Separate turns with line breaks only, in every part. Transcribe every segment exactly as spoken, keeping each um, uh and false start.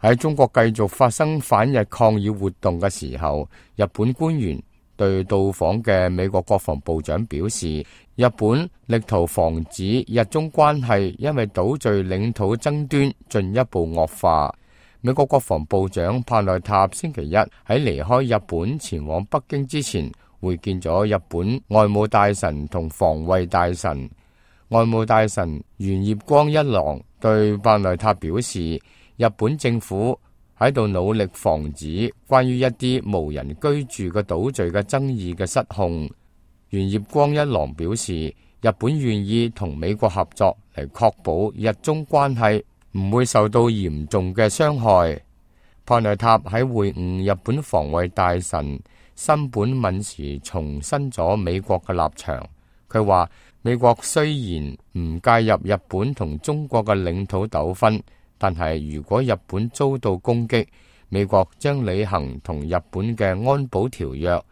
喺中國繼續發生反日抗議活動嘅時候，日本官員對到訪嘅美國國防部長表示，日本力圖防止日中關係因為島嶼領土爭端進一步惡化。美國國防部長帕內塔星期一喺離開日本前往北京之前，會見咗日本外務大臣同防衛大臣。外務大臣原葉光一郎對帕內塔表示，日本政府喺度努力防止關於一啲無人居住嘅島嶼嘅爭議嘅失控。原葉光一郎表示，日本願意同美國合作嚟確保日中關係唔會受到嚴重嘅傷害。帕內塔喺會晤日本防衛大臣森本敏時重申咗美國嘅立場。佢話美國雖然唔介入日本同中國嘅領土糾紛，但係如果日本遭到攻擊，美國將履行同日本嘅安保條約。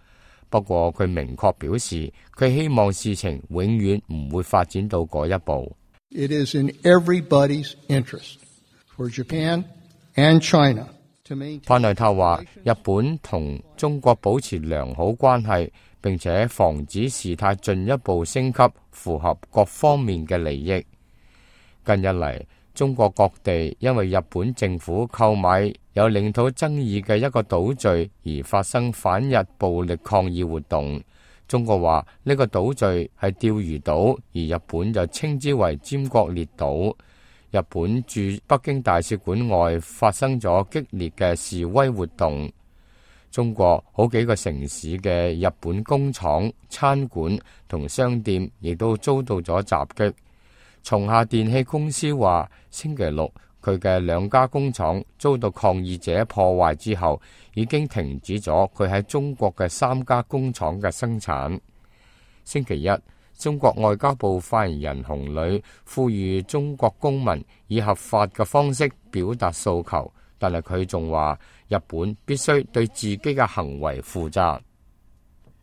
不過佢明確表示，佢希望事情永遠唔會發展到嗰一步。
It is in everybody's interest for Japan and China to maintain。
帕內塔話，日本同中國保持良好關係，並且防止事態進一步升級，符合各方面嘅利益。近日嚟，中國各地因為日本政府購買有領土爭議嘅一個島嶼而發生反日暴力抗議活動。中國話呢個島嶼係釣魚島，而日本就稱之為尖閣列島。日本駐北京大使館外發生咗激烈嘅示威活動。中國好幾個城市嘅日本工廠、餐館同商店亦都遭到咗襲擊。松下電器公司話，星期六佢嘅兩家工廠遭到抗議者破壞之後，已經停止咗佢喺中國嘅三家工廠嘅生產。星期一，中國外交部發言人洪磊呼籲中國公民以合法嘅方式表達訴求，但係佢仲話，日本必須對自己嘅行為負責。